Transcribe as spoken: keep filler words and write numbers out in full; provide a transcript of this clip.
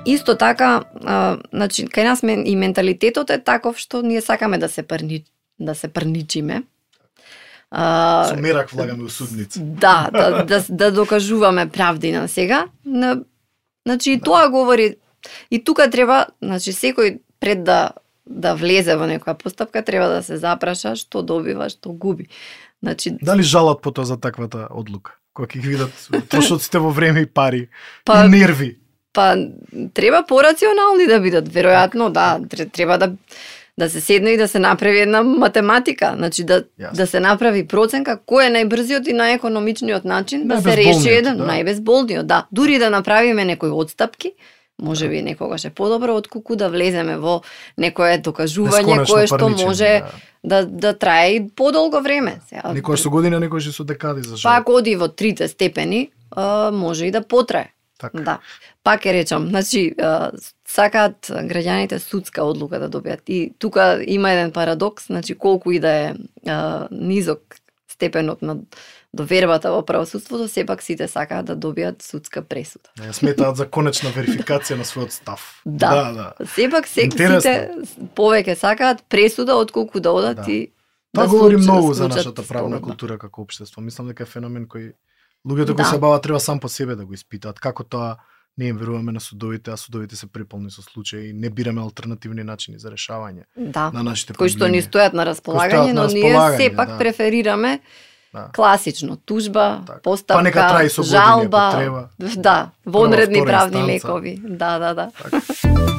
Исто така, а, значи, кај нас мен, и менталитетот е таков што ние сакаме да се прни, да се прничиме. А, Со мерак влагаме у судница. Да, да, да, да докажуваме правдина сега. На, значи, и да. тоа говори, и тука треба, значи, секој пред да да влезе во некоја постапка, треба да се запраша што добива, што губи. Значи, дали жалат потоа за таквата одлука? Кога ќе ги видат трошоците во време и пари, па, и нерви? Па, треба порационални да бидат, веројатно, да, треба да да се седне и да се направи една математика, значи да Јасно. да се направи проценка кој е најбрзиот и најекономичниот начин да се реши еден, да. најбезболниот, да. Дури да направиме некои отстапки, може би некогаш е подобро отколку да влеземе во некое докажување кое што може да. да да трае и подолго време. Сега, некојаш со година, некојаш и со декади за жал. Пак оди во трите степени, а, може и да потрае. Така. Да. Пак е речам, значи а, сакаат граѓаните судска одлука да добијат. И тука има еден парадокс, значи колку и да е а, низок степенот на довербата во правосудството, сепак сите сакаат да добијат судска пресуда. Не, сметаат за конечна верификација на својот став. Да, да, да. Сепак се, сите повеќе сакаат пресуда отколку да одат да. и Тоа да говори случат, многу за случат нашата правна спогодба. култура како општество. Мислам дека е феномен кој луѓето кои Да. се бават треба сам по себе да го испитаат. Како тоа не им веруваме на судовите, а судовите се преполни со случаи и не бираме алтернативни начини за решавање да. на нашите кои проблеми. што ни стојат на располагање, на но ние располагање, сепак да. преферираме Да. класично тужба, Так. постапка, Па нека траи со години, жалба, ако треба. да, вонредни Прва, втора правни инстанца. лекови. Да, да, да. Така.